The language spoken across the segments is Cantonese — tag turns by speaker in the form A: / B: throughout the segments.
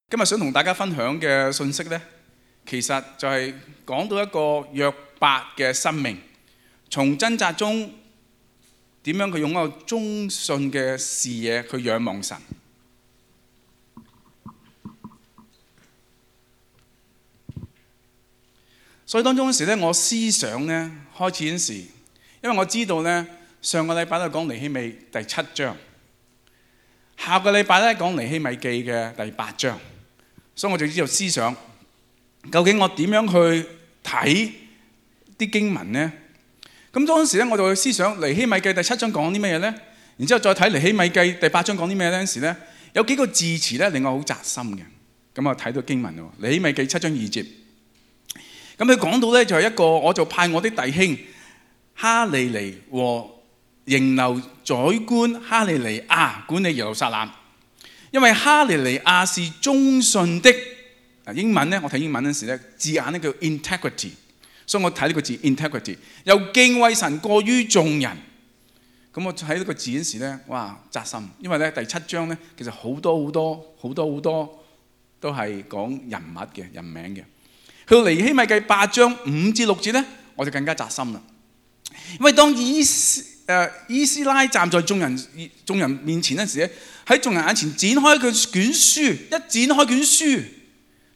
A: 今日想同大家分享嘅信息呢，其實就係講到一個約伯嘅生命，從掙扎中點樣佢用一個忠信嘅視野去仰望神。所以當中嗰時呢，我思想呢開始嗰時，因為我知道呢，上個禮拜都係講尼希米第7章，下個禮拜咧講尼希米記嘅第8章。所以我就知道思想，究竟我點樣去睇啲經文呢？咁當時咧，我就去思想尼希米記第7章講啲咩嘢呢？然之後再睇尼希米記第8章講啲咩呢？嗰時咧，有幾個字詞咧令我好扎心嘅。咁啊睇到經文喎，尼希米記7章2節。咁佢講到咧就係一個，我就派我的弟兄哈利尼和營樓宰官哈利尼亞管理耶路撒冷。因為哈利尼亞是忠信的，英文咧我睇英文嗰時咧字眼咧叫 integrity， 所以我睇呢個字 integrity， 又敬畏神過於眾人。咁我睇呢個字嗰時咧，哇扎心，因為咧第7章咧其實好多都係講人物嘅人名嘅。去到尼希米記8章5至6節咧，我就更加扎心啦。因為當以斯拉站在眾人面前嗰時咧，喺眾人眼前展開佢卷書，一展開卷書，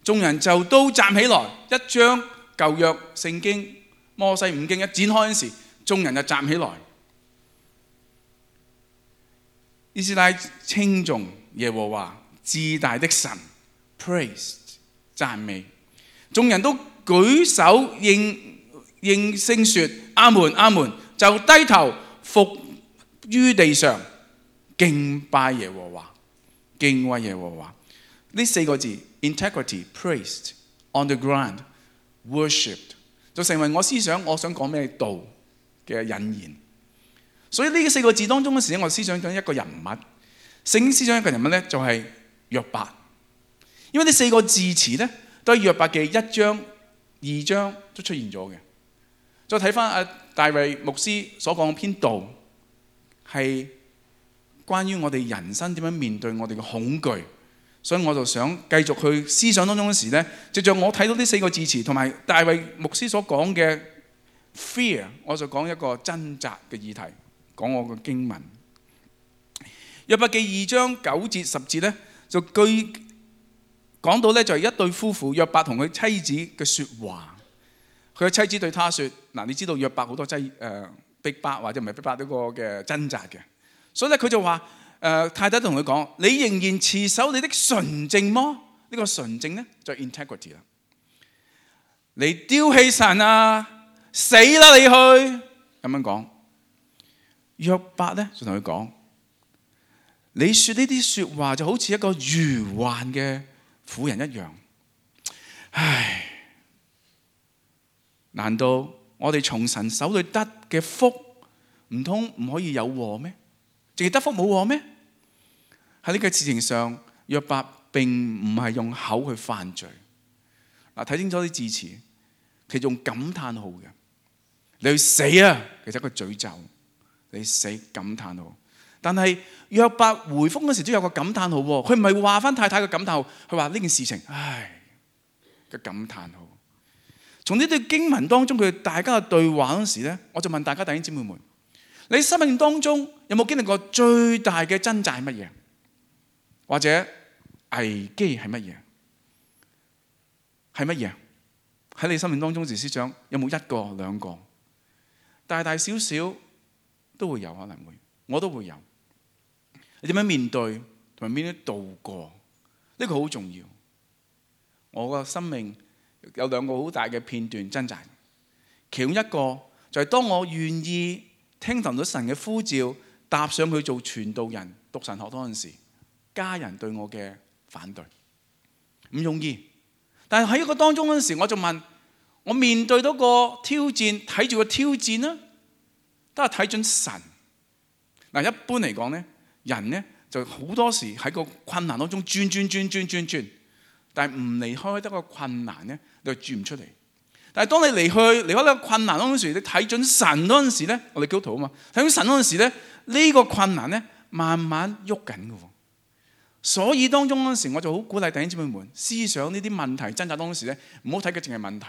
A: 眾人就都站起來，一將舊約聖經摩西五經一展開嗰時，眾人就站起來。以斯拉稱頌耶和華至大的神 ，praise 讚美，眾人都舉手應聲說阿門阿門，就低頭伏於地上敬拜耶和華，敬畏耶和華。呢4個字 integrity praised on the ground worshipped 就成為我思想我想講咩道嘅引言。所以呢4個字當中嘅時候，我思想緊一個人物，聖經思想一個人物咧就係約伯。因為呢4個字詞咧都係約伯記1章2章都出現咗嘅。再睇翻大衛牧師所講嘅篇道，係關於我哋人生點樣面對我哋嘅恐懼，所以我就想繼續去思想當中嗰時咧，藉著我睇到呢4個字詞同埋大衛牧師所講嘅 fear， 我就講一個掙扎嘅議題，講我嘅經文。約伯記2章9節10節咧，就講到咧就係一對夫婦約伯同佢妻子嘅説話。佢嘅妻子對他説：嗱，你知道約伯好多逼迫或者唔係逼迫呢個嘅掙扎嘅，所以咧佢就話太太同佢講：你仍然持守你的純正麼？呢個純正咧就係 integrity 啦。你丟棄神啊，死啦你去！咁樣講。約伯咧就同佢講：你説呢啲説話就好似一個愚頑嘅婦人一樣。唉！難道我哋從神手裏得嘅福，唔通唔可以有禍咩？淨係得福冇禍咩？喺呢個事情上，約伯並唔係用口去犯罪。嗱，睇清楚啲字詞，其實用感嘆號嘅。你去死啊！其實一個詛咒，你死感嘆號。但係約伯回覆嗰時都有個感嘆號喎，佢唔係話翻太太嘅感嘆號，佢話呢件事情，唉嘅感嘆號。從呢段經文當中，佢大家嘅對話嗰時咧，我就問大家弟兄姊妹們：你生命當中有冇經歷過最大嘅掙扎係乜嘢？或者危機係乜嘢？係乜嘢？喺你生命當中時思想有冇1個2個？大大小小都會有，可能會，我都會有。你點樣面對同埋點樣度過？呢個好重要。我個生命有2個好大嘅片段掙扎，其中一個就係當我願意聽從到神嘅呼召，踏上去做傳道人、讀神學嗰陣時，家人對我嘅反對，唔容易。但係喺一個當中嗰陣時，我就問：我面對到個挑戰，睇住個挑戰啦，都係睇準神。嗱，一般嚟講咧，人咧就好多時喺個困難當中轉。但係唔離開得個困難咧，你就轉唔出嚟。但係當你離開呢個困難嗰陣時，你睇準神嗰陣時咧，我哋基督徒啊嘛，睇準神嗰陣時咧，呢個困難咧慢慢喐緊嘅喎。所以當中嗰陣時，我就好鼓勵弟兄姊妹們思想呢啲問題掙扎當時咧，唔好睇嘅淨係問題。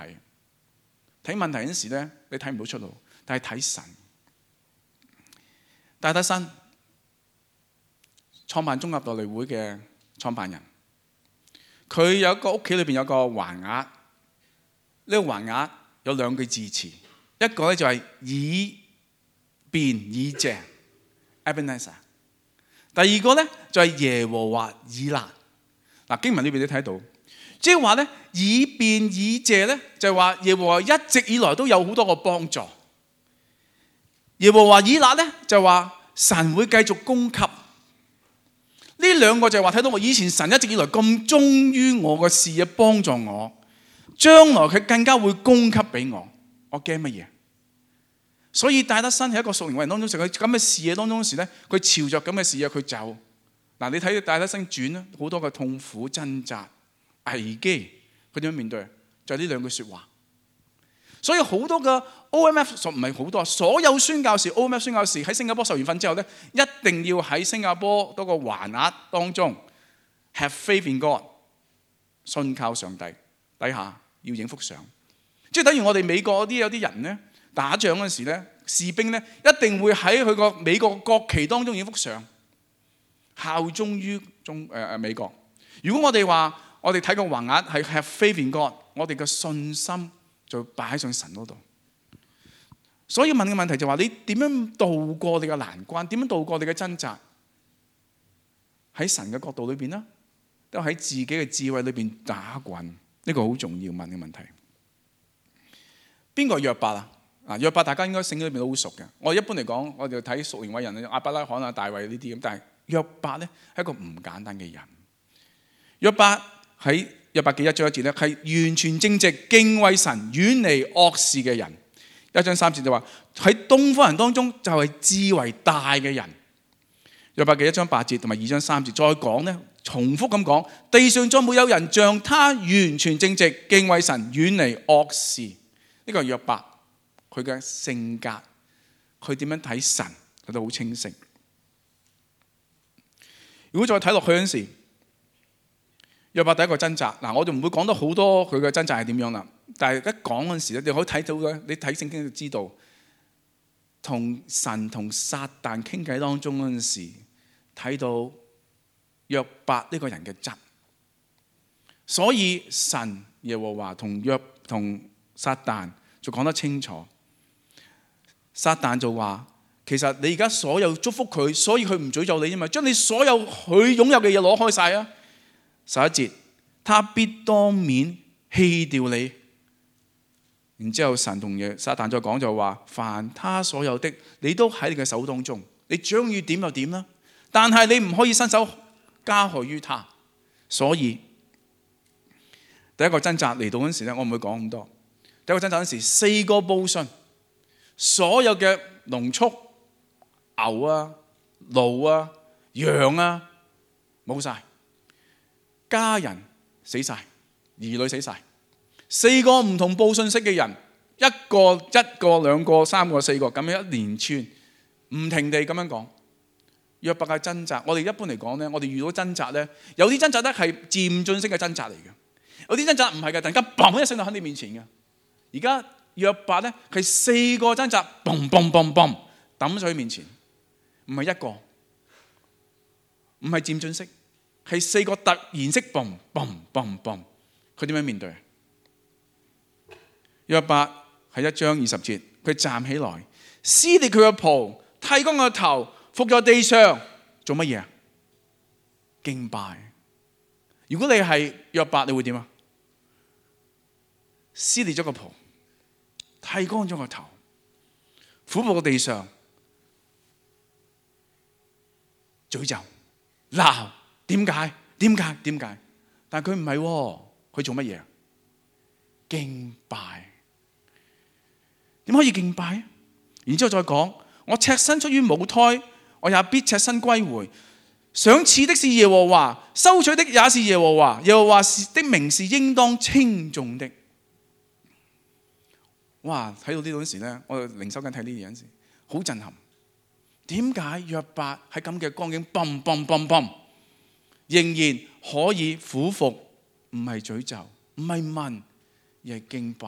A: 睇問題嗰陣時咧，你睇唔到出路，但係睇神。戴德生創辦中亞道理會嘅創辦人，佢有一個屋企裏邊有個橫額，呢個橫額有兩句字詞，一個咧就係以便以謝 Ebenezer， 第二個咧就係耶和華以勒。嗱，經文裏邊你睇到，即係話咧以便以謝咧就係話耶和華一直以來都有好多個幫助，耶和華以勒咧就係話神會繼續供給。呢兩個就係話睇到我以前神一直以來咁忠於我嘅事業，幫助我，將來佢更加會供給俾我。我驚乜嘢？所以戴德生係一個屬靈偉人當中，佢咁嘅視野當中時咧，佢朝着咁嘅視野佢走。嗱，你睇戴德生傳啦，好多嘅痛苦、掙扎、危機，佢點樣面對？就係呢兩句説話。所以好多嘅 OMF 唔係好多，所有宣教士 OMF 宣教士喺新加坡受完訓之後咧，一定要喺新加坡多個橫額當中 have faith in God， 信靠上帝底下要影幅相，即係等於我哋美國嗰啲有啲人咧打仗嗰陣時咧，士兵咧一定會喺佢個美國國旗當中影幅相，效忠於美國。如果我哋話我哋睇個橫額係 have faith in God， 我哋嘅信心就擺上神嗰度。所以問嘅問題就話你點樣度過你嘅難關？點樣度過你嘅掙扎？喺神嘅角度裏邊啦，都喺自己嘅智慧裏邊打滾。呢個好重要問嘅問題。邊個係約伯啊？約伯大家應該聖經裏邊都好熟嘅。我一般嚟講，我哋睇屬靈偉人亞伯拉罕啊、大衛呢啲咁，但係約伯咧係一個唔簡單嘅人。約伯喺約伯記1章1節咧，係完全正直、敬畏神、遠離惡事嘅人。1章3節就話喺東方人當中就係智為大嘅人。約伯記1章8節同埋2章3節再講咧，重複咁講，地上再沒有人像他完全正直、敬畏神、遠離惡事。呢個係約伯佢嘅性格，佢點樣睇神佢都好清晰。如果再睇落去嗰陣時，約伯第一個掙扎，嗱，我就唔會講得好多佢嘅掙扎係點樣啦。但係一講嗰陣時咧，你可以睇到嘅，你睇聖經就知道，同神同撒旦傾偈當中嗰陣時，睇到約伯呢個人嘅質。所以神耶和華同撒旦就講得清楚。撒旦就話：其實你而家所有祝福佢，所以佢唔詛咒你啫嘛，將你所有佢擁有嘅嘢攞開晒啊！11節，他必當面棄掉你。然之後神同撒旦再講就話：凡他所有的，你都喺你嘅手當中，你想要點就點啦。但係你唔可以伸手加害於他。所以第一個掙扎嚟到嗰陣時咧，我唔會講咁多。第一個掙扎嗰陣時，4個報信，所有嘅農畜、牛啊、驢啊、羊啊冇晒。家人死晒，兒女死晒，4個唔同報信息嘅人，一個、兩個、3個、4個咁樣一連串唔停地咁樣講。約伯嘅掙扎，我哋一般嚟講咧，我哋遇到掙扎咧，有啲掙扎咧係漸進式嘅掙扎嚟嘅，有啲掙扎唔係嘅，突然間嘣一聲就喺你面前嘅。而家約伯咧係4個掙扎，嘣嘣嘣嘣抌上去面前，唔係一個，唔係漸進式。係4個突然式嘣嘣嘣嘣，佢點樣面對？約伯係1章20節，佢站起來，撕裂佢嘅袍，剃乾佢嘅頭，伏在地上，做乜嘢啊？敬拜。如果你係約伯，你會點啊？撕裂咗個袍，剃乾咗個頭，俯伏喺地上，詛咒、鬧。點解？但係佢唔係喎，佢做乜嘢？敬拜。點可以敬拜？然之後再講，我赤身出於母胎，我也必赤身歸回。賞賜的是耶和華，收取的也是耶和華。耶和華的名是應當稱頌的。哇！睇到呢度嗰時咧，我靈修緊睇呢啲嘢嗰時，好震撼。點解約伯喺咁嘅光景，嘣嘣嘣嘣？仍然可以俯伏，唔係詛咒，唔係問，而係敬拜。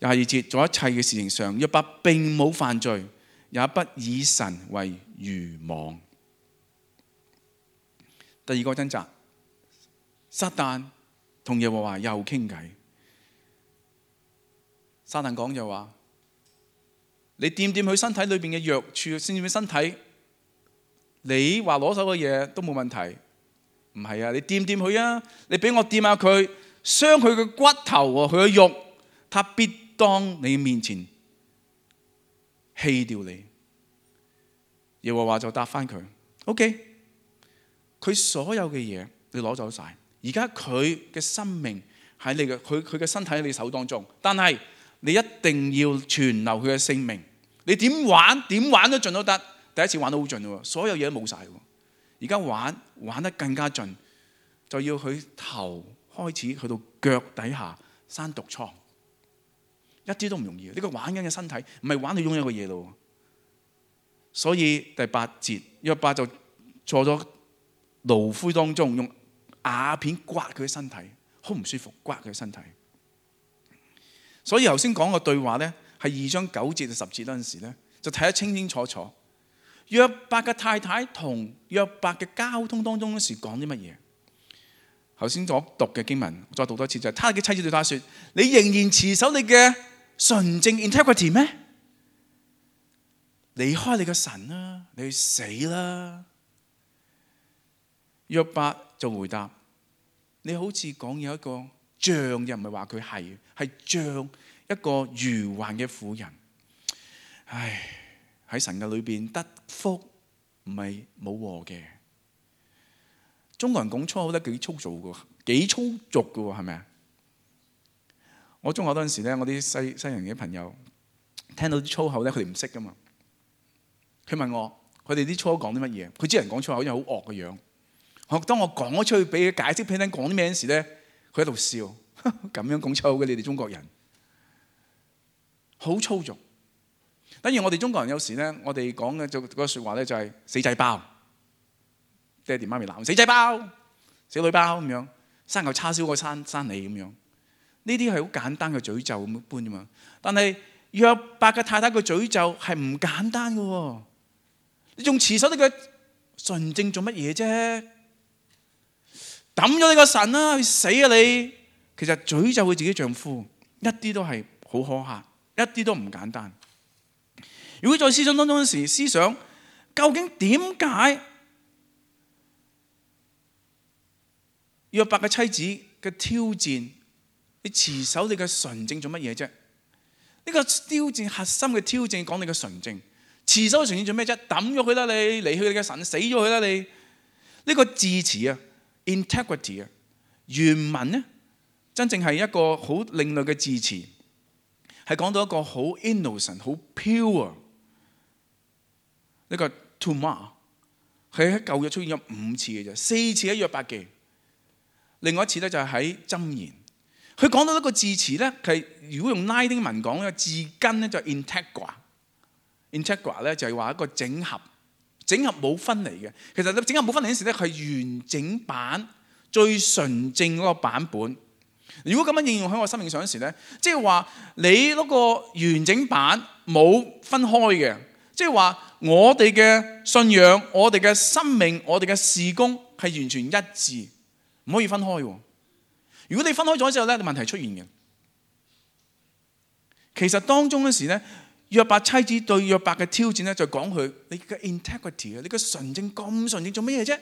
A: 22節，做一切嘅事情上，約伯並冇犯罪，也不以神為愚妄。第二個掙扎，撒旦同耶和華又傾偈。撒旦講就話：你掂掂佢身體裏邊嘅弱處，掂掂佢身體，你話攞手嘅嘢都冇問題。唔係啊，你掂掂佢啊，你俾我掂下佢，傷佢嘅骨頭喎，佢嘅肉，他必當你面前棄掉你。耶和華就答翻佢 ：OK， 佢所有嘅嘢你攞走晒，而家佢嘅生命喺你嘅佢嘅身體喺你手當中，但係你一定要存留佢嘅性命。你點玩都盡都得。第一次玩得好盡喎，所有嘢都冇晒喎。而家玩得更加盡，就要佢頭開始去到腳底下生毒瘡，一啲都唔容易。呢個玩緊嘅身體唔係玩你擁有嘅嘢咯。所以第8節，約伯就坐咗爐灰當中，用瓦片刮佢嘅身體，好唔舒服，刮佢嘅身體。所以頭先講個對話呢，係2章9節到10節嗰陣時呢，就睇得清清楚楚。約伯嘅太太同約伯嘅交通當中嗰時講啲乜嘢？頭先所讀嘅經文，再讀多一次就係：他嘅妻子對他說：你仍然持守你嘅純正 integrity 咩？離開你嘅神啦，你去死啦！約伯就回答：你好似講有一個像，又唔係話佢係像一個愚頑嘅婦人。唉，喺神嘅裏邊得福唔係冇禍嘅。中國人講粗口得幾粗糙嘅，幾粗俗嘅，係咪啊？我中學嗰陣時咧，我啲西人嘅朋友聽到啲粗口咧，佢哋唔識噶嘛。佢問我，佢哋啲粗口講啲乜嘢？佢知人講粗口因為好惡嘅樣。當我講咗出去俾佢解釋俾佢聽講啲咩時咧，佢喺度笑，咁樣講粗口嘅你哋中國人，好粗俗。等於我哋中國人有時咧，我哋講嘅嗰個説話咧就係死仔包，爹哋媽咪鬧死仔包、死女包咁樣，生嚿叉燒過生你咁樣。呢啲係好簡單嘅詛咒咁一般啫嘛。但係約伯嘅太太嘅詛咒係唔簡單嘅喎。你仲持守你嘅純正做乜嘢啫？抌咗你個神啦，去死啊你！其實詛咒佢自己丈夫，一啲都係好可嚇，一啲都唔簡單。如果在思想當中嗰時思想，究竟點解約伯嘅妻子嘅挑戰，你持守你嘅純正做乜嘢啫？呢個挑戰核心嘅挑戰講你嘅純正，持守純正做咩啫？抌咗佢啦你，離去你嘅神，死咗佢啦你。呢個字詞啊 ，integrity 啊，原文呢真正係一個好另類嘅字詞，係講到一個好 innocent、好 pure。呢個 Tumah 佢喺舊約出現咗5次嘅啫，4次喺約伯記，另外一次咧就係喺箴言。佢講到一個字詞咧，係如果用拉丁文講嘅字根咧就係 integra 咧就係話一個整合冇分離嘅。其實整合冇分離嗰時咧係完整版最純正嗰個版本。如果咁樣應用喺我生命上嗰時咧，即係話你嗰個完整版冇分開嘅。即係話我哋嘅信仰、我哋嘅生命、我哋嘅事工係完全一致，唔可以分開。如果你分開咗之後咧，問題出現嘅。其實當中嗰時咧，約伯妻子對約伯嘅挑戰咧，就講佢你嘅 integrity 啊，你嘅純正咁純正做乜嘢啫？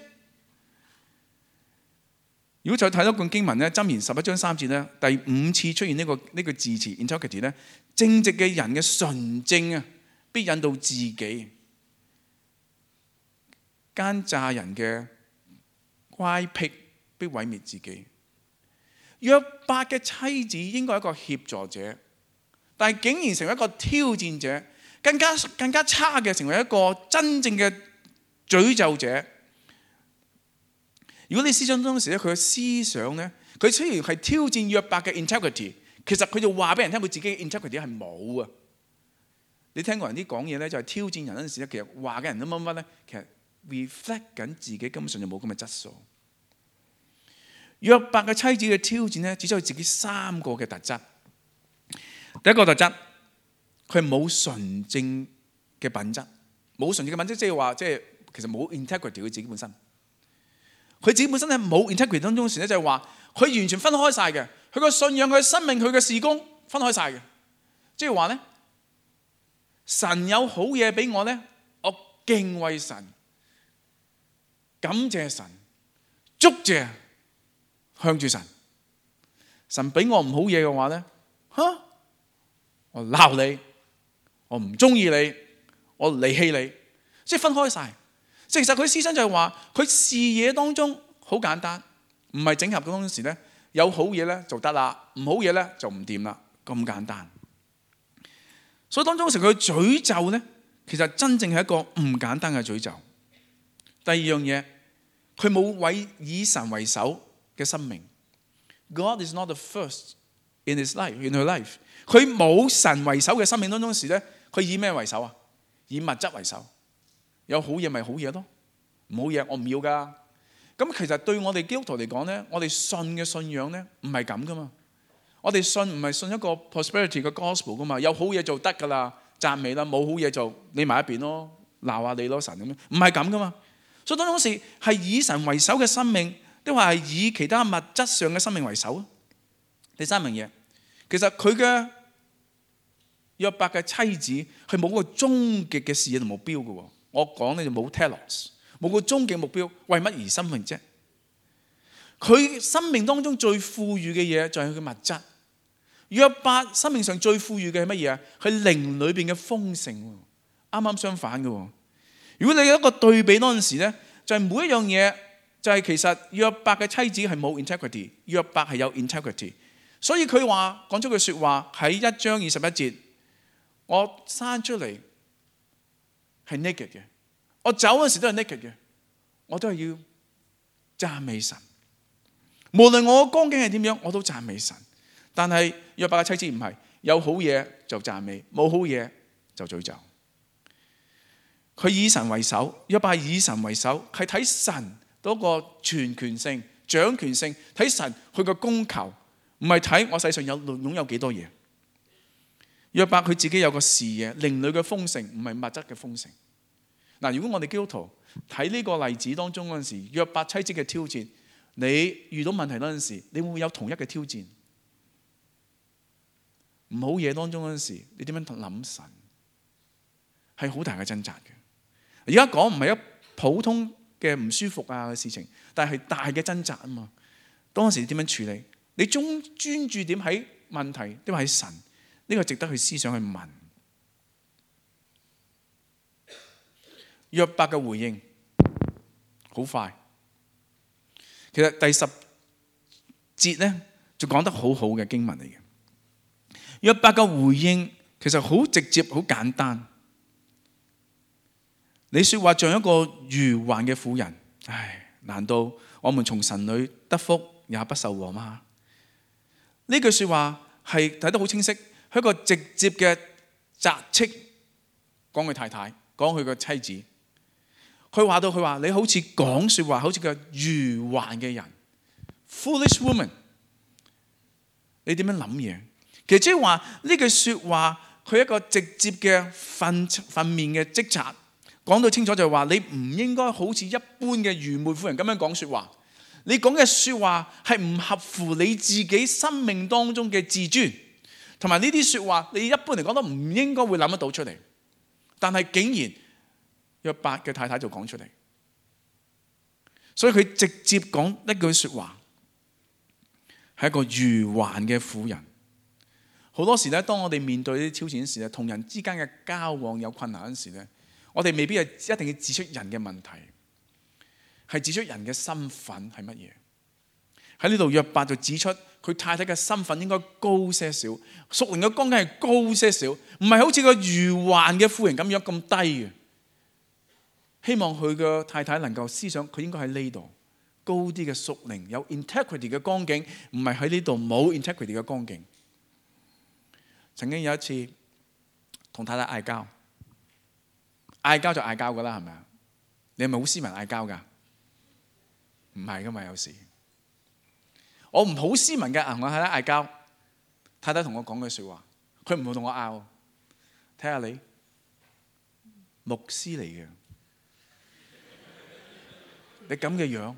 A: 如果再睇多段經文咧，箴言11章3節咧，第5次出現呢個字詞 integrity 咧，正直嘅人嘅純正啊，必引導自己，奸詐人嘅乖僻必毀滅自己。約伯嘅妻子應該係一個協助者，但係竟然成為一個挑戰者，更加差嘅成為一個真正嘅詛咒者。如果你思想當時咧，佢嘅思想咧，佢雖然係挑戰約伯嘅 integrity， 其實佢就話俾人聽佢自己嘅 integrity 係冇啊。你聽過人啲講嘢咧，就係挑戰人嗰陣時咧，其實話嘅人都乜乜咧，其實 reflect 緊自己根本上就冇咁嘅質素。約伯嘅妻子嘅挑戰咧，指出佢自己3個嘅特質。第一個特質，佢係冇純正嘅品質。冇純正嘅品質，即係話，即係其實冇 integrity 佢自己本身。佢自己本身咧冇 integrity 當中時咧，就係話佢完全分開晒嘅。佢個信仰、佢嘅生命、佢嘅事工分開晒嘅。即係話咧，神有好嘢俾我咧，我敬畏神，感謝神，祝謝向住神。神俾我唔好嘢嘅話咧，我鬧你，我唔中意你，我離棄你，即係分開晒。即係其實佢思想就係話，佢視野當中好簡單，唔係整合嘅當時咧，有好嘢咧就得啦，唔好嘢咧就唔掂啦，咁簡單。所以當中時佢詛咒咧，其實真正係一個唔簡單嘅詛咒。第二樣嘢，佢冇以神為首嘅生命。God is not the first in his life, in her life。佢冇神為首嘅生命當中時咧，佢以咩為首啊？以物質為首。有好嘢咪好嘢咯，唔好嘢我唔要噶。咁其實對我哋基督徒嚟講咧，我哋信嘅信仰咧唔係咁噶嘛。我哋信唔係信一個 prosperity 嘅 gospel 噶嘛，有好嘢就得噶啦，讚美啦，冇好嘢就你埋一邊咯，鬧下你咯神咁樣，唔係咁噶嘛。所以當時係以神為首嘅生命，定話係以其他物質上嘅生命為首啊？第三樣嘢，其實佢嘅約伯嘅妻子係冇個終極嘅事業同目標嘅喎。我講咧就冇 telos， 冇個終極目標，為乜而生命啫？佢生命當中最富裕嘅嘢就係佢嘅物質。約伯生命上最富裕嘅係乜嘢啊？係靈裏邊嘅豐盛，啱啱相反嘅。如果你有一個對比嗰陣時咧，就係每一樣嘢就係其實約伯嘅妻子係冇 integrity， 約伯係有 integrity。所以佢話講出句説話喺1章21節，我生出嚟係 naked 嘅，我走嗰時都係 naked 嘅，我都係要讚美神。無論我嘅光景係點樣，我都讚美神。但係約伯嘅妻子唔係，有好嘢就讚美，冇好嘢就詛咒。佢以神為首，約伯係以神為首，係睇神嗰個全權性、掌權性，睇神佢個供求，唔係睇我世上擁有幾多嘢。約伯佢自己有個視野，靈裏嘅豐盛，唔係物質嘅豐盛。嗱，如果我哋基督徒睇呢個例子當中嗰陣時，約伯妻子嘅挑戰，你遇到問題嗰陣時，你會唔會有同一嘅挑戰？唔好嘢當中嗰陣時，你點樣諗神？係好大嘅掙扎嘅。而家講唔係一普通嘅唔舒服啊嘅事情，但係大嘅掙扎啊嘛。當時點樣處理？你專注點喺問題，定係喺神？呢個值得去思想去問。約伯嘅回應好快。其實第10節咧就講得好好嘅經文嚟嘅。約伯嘅回應其實好直接、好簡單。你說話像一個愚頑嘅婦人，唉，難道我們從神裏得福也不受禍嗎？呢句說話係睇得好清晰，係一個直接嘅責斥，講佢太太，講佢個妻子。佢話你好似講說話，好似個愚頑嘅人 ，foolish woman， 你點樣諗嘢？其實即係話呢句說話，佢一個直接嘅訓面嘅職責，講到清楚就係話你唔應該好似一般嘅愚昧婦人咁樣講說話。你講嘅說話係唔合乎你自己生命當中嘅自尊，同埋呢啲說話你一般嚟講都唔應該會諗得到出嚟，但係竟然約伯嘅太太就講出嚟，所以佢直接講一句說話，係一個愚頑嘅婦人。好多時咧，當我哋面對呢啲挑戰時咧，同人之間嘅交往有困難嗰時咧，我哋未必係一定要指出人嘅問題，係指出人嘅身份係乜嘢。喺呢度約伯就指出佢太太嘅身份應該高些少，屬靈嘅光景係高些少，唔係好似個愚頑嘅婦人咁樣咁低嘅。希望佢嘅太太能夠思想，佢應該喺呢度高啲嘅屬靈有 integrity 嘅光景，唔係喺呢度冇 integrity 嘅光景。曾經有一次同太太嗌交就嗌交噶啦，係咪啊？你係咪好斯文嗌交㗎？唔係㗎嘛，有時我唔好斯文嘅，同我太太嗌交，太太同我講句説話，佢唔會同我拗。睇下你牧師嚟嘅，你咁嘅樣，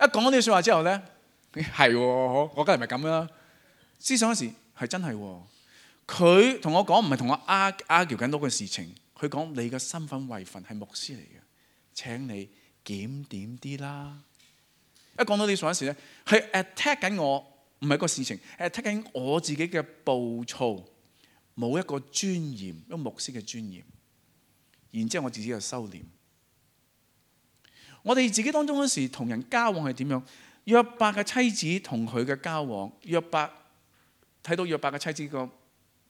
A: 一講咗呢句説話之後咧，係喎，我梗係咪咁啦？思想嗰時係真係喎，佢同我講唔係同我argue緊嗰個事情，佢講你嘅身份位份係牧師嚟嘅，請你檢點啲啦。一講到呢句説話嗰時咧，係 attack 緊我，唔係個事情，係 attack 緊我自己嘅暴躁，冇一個尊嚴，一個牧師嘅尊嚴。然之後我自己就收斂。我哋自己當中嗰時同人交往係點樣？約伯嘅妻子同佢嘅交往，約伯睇到約伯嘅妻子個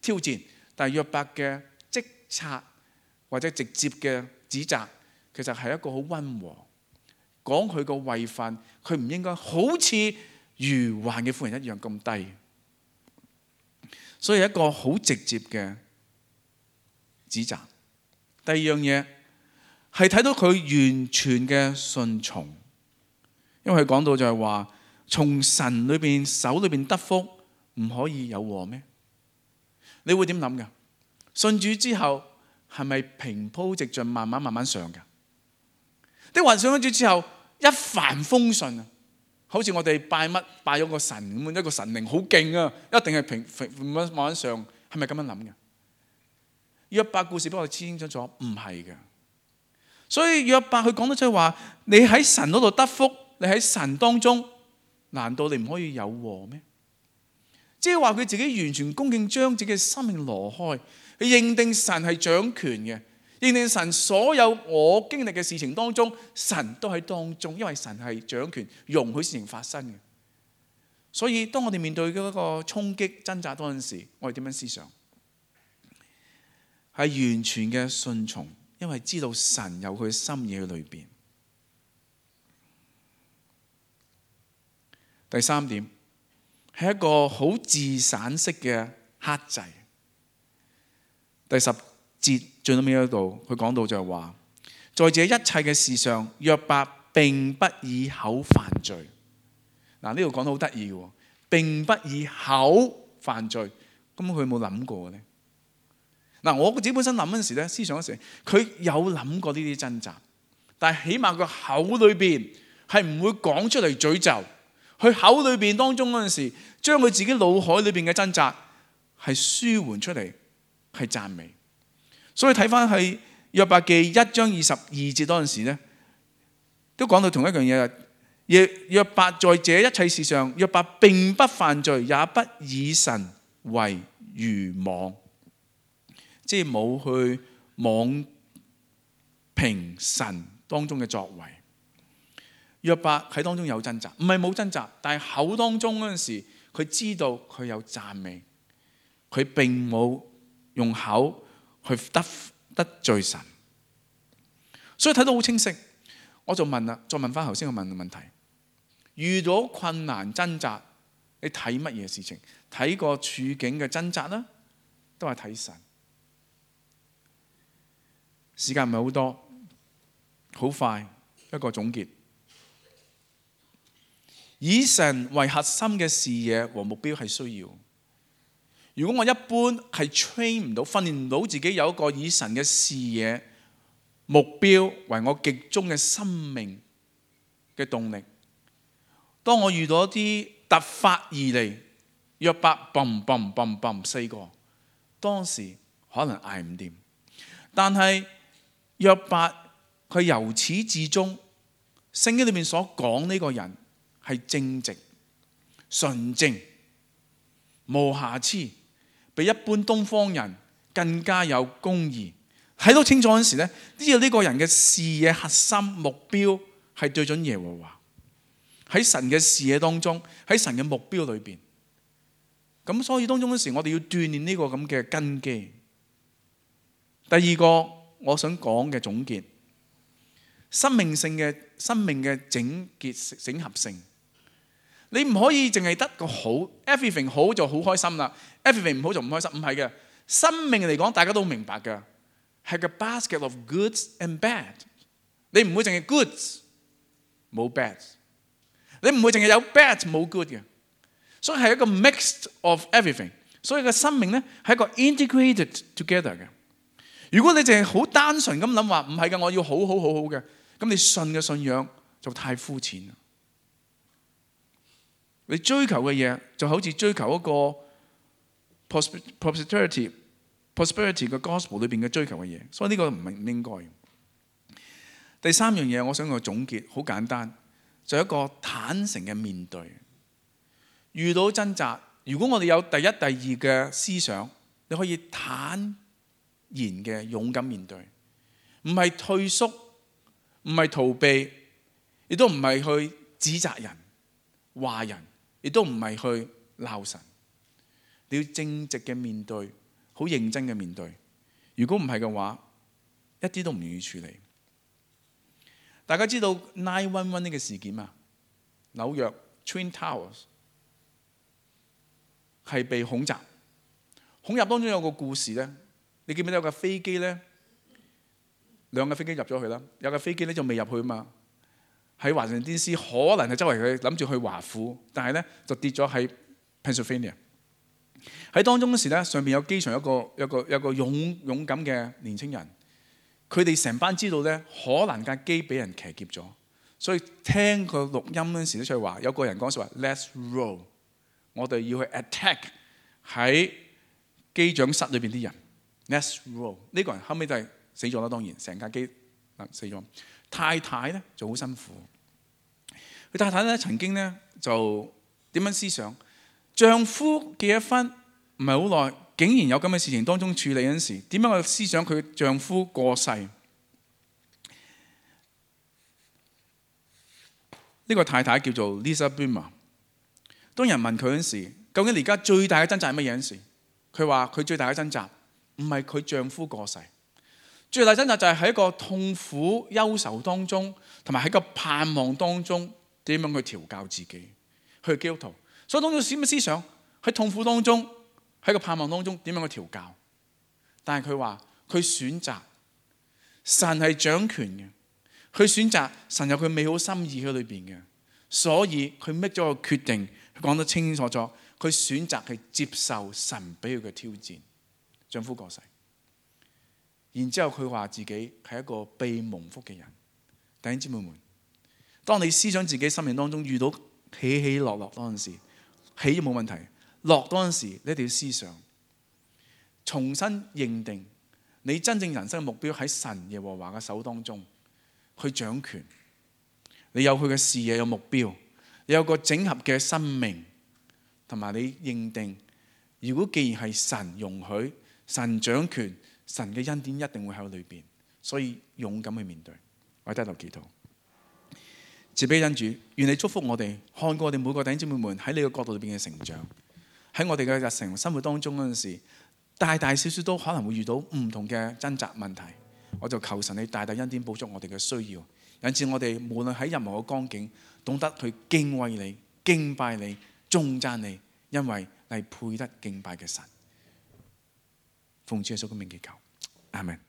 A: 挑戰，但係約伯嘅即察或者直接嘅指責，其實係一個好溫和，講佢個位份，佢唔應該好似愚頑嘅婦人一樣咁低，所以一個好直接嘅指責。第二樣嘢係睇到佢完全嘅順從，因為佢講到就係話，從神裏邊手裏邊得福，唔可以有禍咩？你會點諗㗎？信主之後係咪平鋪直進，慢慢上㗎？啲話上咗主之後一帆風順啊，好似我哋拜咗個神咁，一個神靈好勁啊，一定係慢慢上，係咪咁樣諗㗎？約伯故事幫我哋清楚咗，唔係嘅。所以約伯佢講得出話，你喺神嗰度得福，你喺神當中，難道你唔可以有禍咩？即係話佢自己完全恭敬，將自己嘅生命挪開，佢認定神係掌權嘅，認定神所有我經歷嘅事情當中，神都喺當中，因為神係掌權，容許事情發生嘅。所以當我哋面對嗰個衝擊掙扎嗰陣時，我哋點樣思想？係完全嘅順從，因為知道神有佢心意喺裏邊。第三點係一個好自省式嘅克制。第10節最後尾嗰度，佢講到就係話，在這一切嘅事上，約伯並不以口犯罪。嗱，呢度講得好得意嘅，並不以口犯罪。咁佢有冇諗過呢？嗱，我自己本身諗嗰陣時咧，思想嗰時，佢有諗過呢啲掙扎，但係起碼佢口裏邊係唔會講出嚟詛咒，佢口裏邊當中嗰陣時，將佢自己腦海裏邊嘅掙扎係舒緩出嚟，係讚美。所以睇翻係約伯記1章22節嗰陣時咧，都講到同一樣嘢。約伯在這一切事上，約伯並不犯罪，也不以神為愚妄。即係冇去妄評神當中嘅作為。約伯喺當中有掙扎，唔係冇掙扎，但係口當中嗰陣時，佢知道佢有讚美，佢並冇用口去得罪神。所以睇到好清晰，我就問啦，再問翻頭先我問嘅問題：遇到困難掙扎，你睇乜嘢事情？睇個處境嘅掙扎啦，都係睇神。時間唔係好多，好快一個總結。以神為核心嘅視野和目標係需要。如果我一般係 train 唔到、訓練唔到自己有一個以神嘅視野、目標為我極終嘅生命嘅動力，當我遇到一啲突發而嚟，約伯嘣嘣嘣嘣4個，當時可能捱唔掂，但係約伯佢由始至終，聖經裏面所講呢個人係正直、純正、無瑕疵，比一般東方人更加有公義。睇到清楚嗰時咧，呢個人嘅視野核心目標係對準耶和華，喺神嘅視野當中，喺神嘅目標裏邊。咁所以當中嗰時，我哋要鍛鍊呢個咁嘅根基。第二個我想講嘅總結，生命嘅整合性，你唔可以淨係得個好 ，everything 好就好開心啦 ，everything 唔好就唔開心，唔係嘅。生命嚟講，大家都明白嘅，係個 basket of goods and bad，你唔會淨係 good 冇 bad， 你唔會淨係有 bad 冇 good 嘅，所以係一個 mix of everything。所以個生命咧係一個 integrated together 嘅。如果你淨係好單純咁諗話唔係嘅，我要好嘅，咁你信嘅信仰就太膚淺啦。你追求嘅嘢就好似追求一個 prosperity 嘅 gospel 裏邊嘅追求嘅嘢，所以呢個唔應該。第三樣嘢我想個總結好簡單，就係一個坦誠嘅面對。遇到掙扎，如果我哋有第一、第二嘅思想，你可以坦然嘅勇敢面對，唔係退縮，唔係逃避，亦都唔係去指責人、話人，亦都唔係去鬧神。你要正直嘅面對，好認真嘅面對。如果唔係嘅話，一啲都唔願意處理。大家知道 911 呢個事件嘛？紐約 Twin Towers 係被恐襲，恐襲當中有個故事咧。你記唔記得有架飛機咧？兩架飛機入咗去啦，有架飛機咧就未入去嘛。喺華盛頓 DC 可能係周圍佢諗住去華府，但係咧就跌咗喺 Pennsylvania。喺當中嗰時咧，上邊有機場有個勇敢嘅年青人，佢哋成班知道咧，可能架機俾人騎劫咗，所以聽個錄音嗰時咧，就係話有個人講說話 Let's roll， 我哋要去 attack 喺機長室裏邊啲人。Let's roll， 呢個人後尾就係死咗啦，當然成架機死咗。太太咧就好辛苦，佢太太咧曾經咧就點樣思想？丈夫結咗婚唔係好耐，竟然有咁嘅事情當中處理嗰陣時，點樣去思想佢丈夫過世？呢個太太叫做 Lisa Boomer。當人問佢嗰陣時，究竟而家最大嘅掙扎係乜嘢嗰陣時，佢話佢最大嘅掙扎唔係佢丈夫過世，最大掙扎就係喺一個痛苦憂愁當中，同埋喺個盼望當中點樣去調教自己，去基督徒。所以當中什麼思想？喺痛苦當中，喺個盼望當中點樣去調教？但係佢話佢選擇神係掌權嘅，佢選擇神有佢美好心意喺裏邊嘅，所以佢 make 咗個決定，佢講得清清楚楚，佢選擇係接受神俾佢嘅挑戰。丈夫過世，然之後佢話自己係一個被蒙福嘅人。弟兄姊妹們，當你思想自己生命當中遇到起起落落嗰陣時，起冇問題，落嗰陣時你一定要思想，重新認定你真正人生嘅目標喺神耶和華嘅手當中去掌權。你有佢嘅視野，有目標，你有個整合嘅生命，同埋你認定，如果既然係神容許，神掌權，神嘅恩典一定會喺裏邊，所以勇敢去面對。我喺低頭祈禱，慈悲恩主，願你祝福我哋，看過我哋每個弟兄姊妹們喺你嘅角度裏邊嘅成長，喺我哋嘅日常生活當中嗰陣時，大大小小都可能會遇到唔同嘅掙扎問題。我就求神你大大恩典補足我哋嘅需要，引致我哋無論喺任何嘅光景，懂得去敬畏你、敬拜你、頌讚你，因為你係配得敬拜嘅神。奉主耶穌嘅名祈求，阿們。